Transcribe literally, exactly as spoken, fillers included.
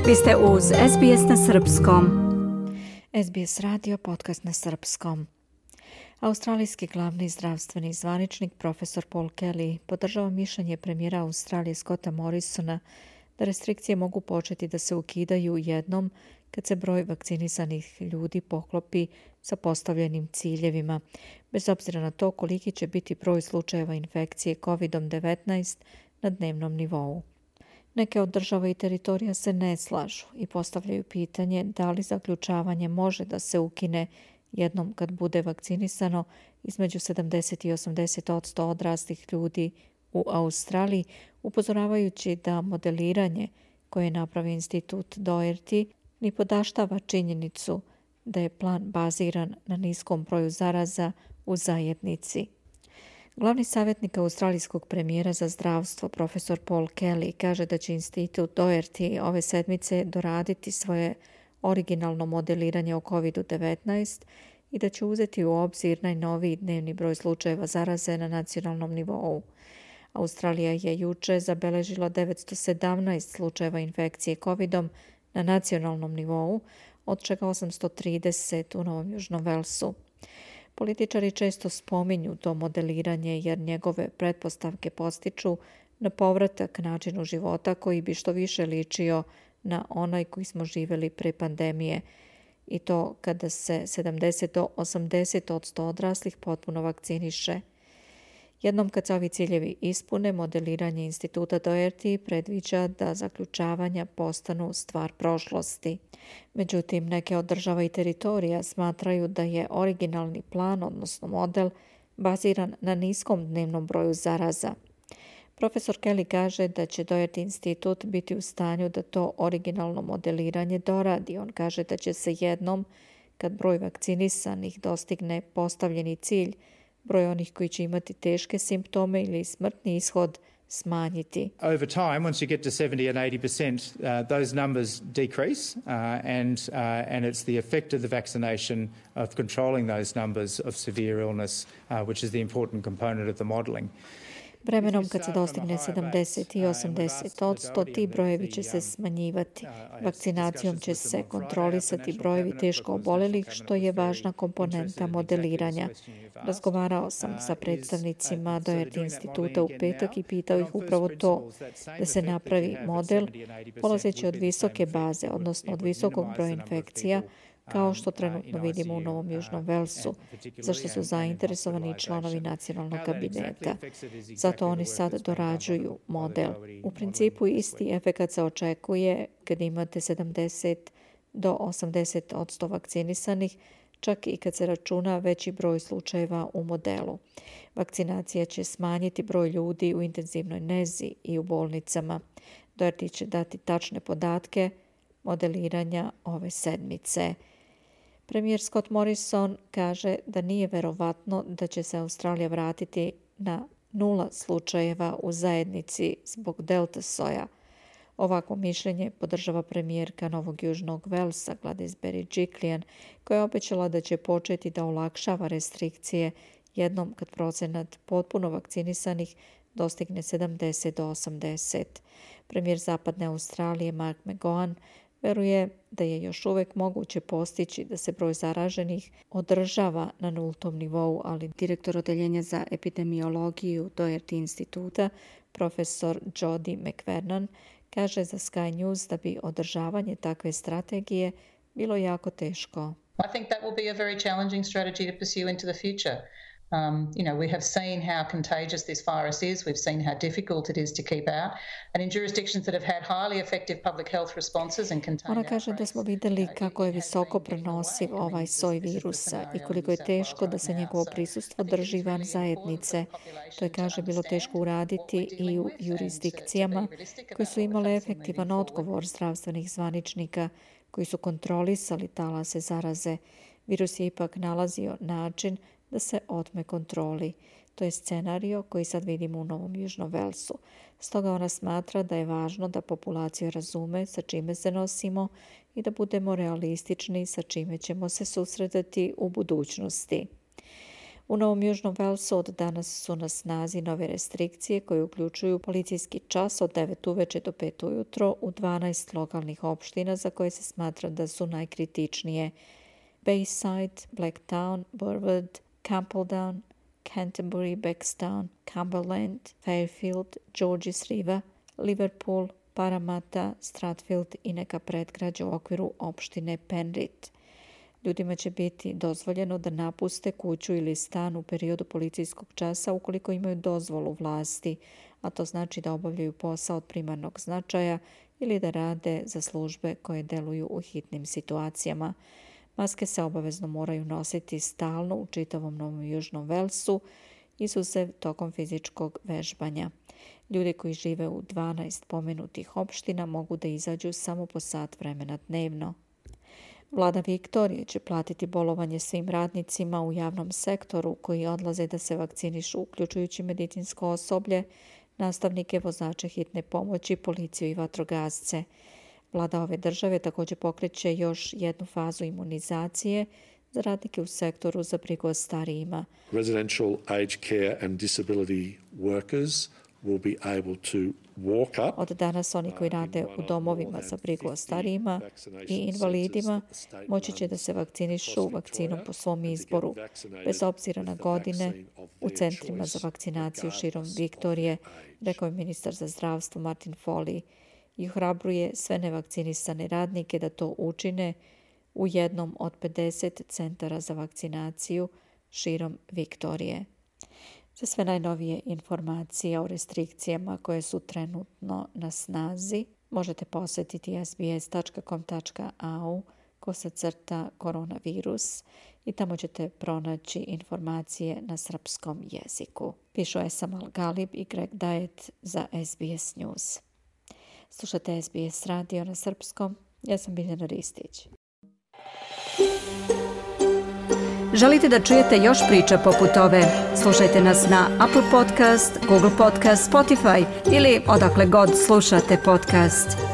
Vi ste uz S B S na srpskom. S B S radio, podcast na srpskom. Australijski glavni zdravstveni zvaničnik profesor Paul Kelly podržava mišljenje premijera Australije Scotta Morrisona da restrikcije mogu početi da se ukidaju jednom kad se broj vakcinisanih ljudi poklopi sa postavljenim ciljevima, bez obzira na to koliki će biti broj slučajeva infekcije kovid devetnaest na dnevnom nivou. Neke od država i teritorija se ne slažu i postavljaju pitanje da li zaključavanje može da se ukine jednom kad bude vakcinisano između sedamdeset i osamdeset posto odraslih ljudi u Australiji, upozoravajući da modeliranje koje je napravio institut Doherty ni podaštava činjenicu da je plan baziran na niskom broju zaraza u zajednici. Glavni savjetnik australijskog premijera za zdravstvo, profesor Paul Kelly, kaže da će institut Doherty ove sedmice doraditi svoje originalno modeliranje o kovid devetnaest i da će uzeti u obzir najnoviji dnevni broj slučajeva zaraze na nacionalnom nivou. Australija je juče zabeležila devetsto sedamnaest slučajeva infekcije covidom na nacionalnom nivou, od čega osamsto trideset u Novom Južnom Velsu. Političari često spominju to modeliranje jer njegove pretpostavke postiču na povratak načinu života koji bi što više ličio na onaj koji smo živjeli pre pandemije, i to kada se sedamdeset do osamdeset posto odraslih potpuno vakciniše. Jednom kad se ovi ciljevi ispune, modeliranje instituta Doherty predviđa da zaključavanja postanu stvar prošlosti. Međutim, neke od država i teritorija smatraju da je originalni plan, odnosno model, baziran na niskom dnevnom broju zaraza. Profesor Kelly kaže da će Doherty institut biti u stanju da to originalno modeliranje doradi. On kaže da će se jednom, kad broj vakcinisanih dostigne postavljeni cilj, broj onih koji će imati teške simptome ili smrtni ishod smanjiti. Over time, once you get to seventy and eighty percent, uh, those numbers decrease, uh, and uh, and it's the effect of the vaccination of controlling those numbers of severe illness, uh, which is the important component of the modelling. Vremenom kad se dostigne sedamdeset i osamdeset posto, ti brojevi će se smanjivati. Vakcinacijom će se kontrolisati brojevi teško obolelih, što je važna komponenta modeliranja. Razgovarao sam sa predstavnicima Doherty instituta u petak i pitao ih upravo to, da se napravi model polazeći od visoke baze, odnosno od visokog broja infekcija, kao što trenutno vidimo u Novom Južnom Velsu, za što su zainteresovani i članovi nacionalnog kabineta. Zato oni sad dorađuju model. U principu isti efekat se očekuje kad imate sedamdeset do osamdeset posto vakcinisanih, čak i kad se računa veći broj slučajeva u modelu. Vakcinacija će smanjiti broj ljudi u intenzivnoj nezi i u bolnicama. Doherty će dati tačne podatke modeliranja ove sedmice. Premijer Scott Morrison kaže da nije verovatno da će se Australija vratiti na nula slučajeva u zajednici zbog delta soja. Ovako mišljenje podržava premijerka Novog Južnog Velsa Gladys Berejiklian, koja je obećala da će početi da olakšava restrikcije jednom kad procenat potpuno vakcinisanih dostigne sedamdeset do osamdeset. Premijer Zapadne Australije Mark McGowan veruje da je još uvijek moguće postići da se broj zaraženih održava na nultom nivou, ali direktor odeljenja za epidemiologiju Doherty instituta, profesor Jody McVernon, kaže za Sky News da bi održavanje takve strategije bilo jako teško. I think that will be a very challenging strategy to pursue into the future. Um, you know, we have seen how contagious this virus is. We've seen how difficult it is to keep out. And in jurisdictions that have had highly effective public health responses and contained Ona kaže da smo vidjeli kako je visoko prenosiv ovaj soj virusa i koliko je teško da se njegovo prisustvo drži van zajednice. To je, kaže, bilo teško uraditi i u jurisdikcijama koje su imale efektivan odgovor zdravstvenih zvaničnika koji su kontrolisali talase zaraze. Virus je ipak nalazio način da se otme kontroli. To je scenario koji sad vidimo u Novom Južnom Velsu. Stoga ona smatra da je važno da populacija razume sa čime se nosimo i da budemo realistični sa čime ćemo se susretati u budućnosti. U Novom Južnom Velsu od danas su na snazi nove restrikcije koje uključuju policijski čas od devet uveče do pet ujutro u dvanaest lokalnih opština za koje se smatra da su najkritičnije: Bayside, Blacktown, Burwood, Campbelltown, Canterbury, Bankstown, Cumberland, Fairfield, Georges River, Liverpool, Parramatta, Stratfield i neka predgrađa u okviru opštine Penrith. Ljudima će biti dozvoljeno da napuste kuću ili stan u periodu policijskog časa ukoliko imaju dozvolu vlasti, a to znači da obavljaju posao od primarnog značaja ili da rade za službe koje deluju u hitnim situacijama. Maske se obavezno moraju nositi stalno u čitavom Novom Južnom Velsu, izuzev tokom fizičkog vežbanja. Ljudi koji žive u dvanaest pomenutih opština mogu da izađu samo po sat vremena dnevno. Vlada Viktorije će platiti bolovanje svim radnicima u javnom sektoru koji odlaze da se vakcinišu, uključujući medicinsko osoblje, nastavnike, vozače hitne pomoći, policiju i vatrogasce. Vlada ove države također pokreće još jednu fazu imunizacije za radnike u sektoru za brigu o starijima. Residential aged care and disability workers will be able to walk up. Od danas oni koji rade u domovima za brigu o starijima i invalidima moći će da se vakcinišu vakcinom po svom izboru, bez obzira na godine, u centrima za vakcinaciju širom Viktorije, rekao je ministar za zdravstvo Martin Foley, i ohrabruje sve nevakcinisane radnike da to učine u jednom od pedeset centara za vakcinaciju širom Viktorije. Za sve najnovije informacije o restrikcijama koje su trenutno na snazi možete posjetiti es be es dot com dot a u kosacrta koronavirus i tamo ćete pronaći informacije na srpskom jeziku. Pišu Esam Al-Galib i Greg Dajet za es be es News. Slušate es be es radio na srpskom. Ja sam Biljana Ristić. Želite da čujete još priča poput ove? Slušajte nas na Apple Podcast, Google Podcast, Spotify ili odakle god slušate podcast.